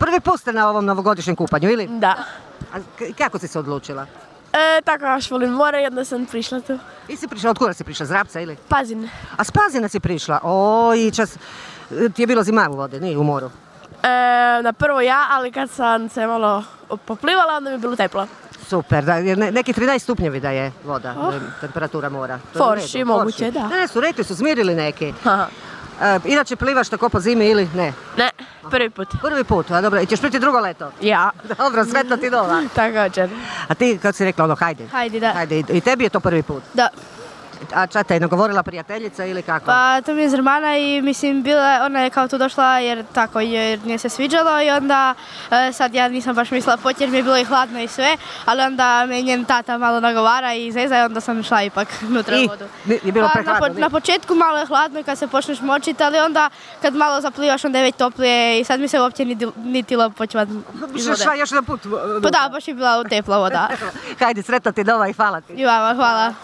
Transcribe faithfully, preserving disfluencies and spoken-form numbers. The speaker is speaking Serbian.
Prvi put ste na ovom novogodišnjem kupanju, ili? Da. A k- kako si se odlučila? E, tako baš volim more i onda sam prišla tu. I si prišla, od kuda si prišla, z Rabca ili? Pazin. A s Pazina si prišla? Oj, čas, ti je bilo zima u vodi, nije u moru. E, na prvo ja, ali kad sam se malo poplivala, onda mi je bilo teplo. Super, da, jer ne- neki trinaest stupnjevi da je voda, Oh. e, temperatura mora. To je u Forši, redu, moguće, forši. da. Ne, su rekli su, smirili neki. Aha. E, inače plivaš tako po zimi ili ne? Ne, prvi put. Prvi put, a dobro, i ćeš piti drugo leto? Ja. Dobro, sretno ti nova. Također. A ti, kad si rekla ono, hajde? Hajde, da. Hajde, i i tebi je to prvi put? Da. A ča te je nagovorila prijateljica ili kako? Pa to mi je Zrmana i mislim bila, ona je kao tu došla jer tako jer nije se sviđalo i onda e, sad ja nisam baš mislila poći jer mi je bilo i hladno i sve, ali onda me njen tata malo nagovara i zeza i onda sam išla ipak unutra u I? vodu. Ni- je bilo Pa, prehladno, na, po- nije? na početku malo je hladno kad se počneš močiti, ali onda kad malo zaplivaš onda je već toplije i sad mi se uopće niti, niti počvat iz vode. Šla još jedan put. Pa da, baš je bila tepla voda. Hajde, sretno ti nova i hvala ti. I vama, hvala.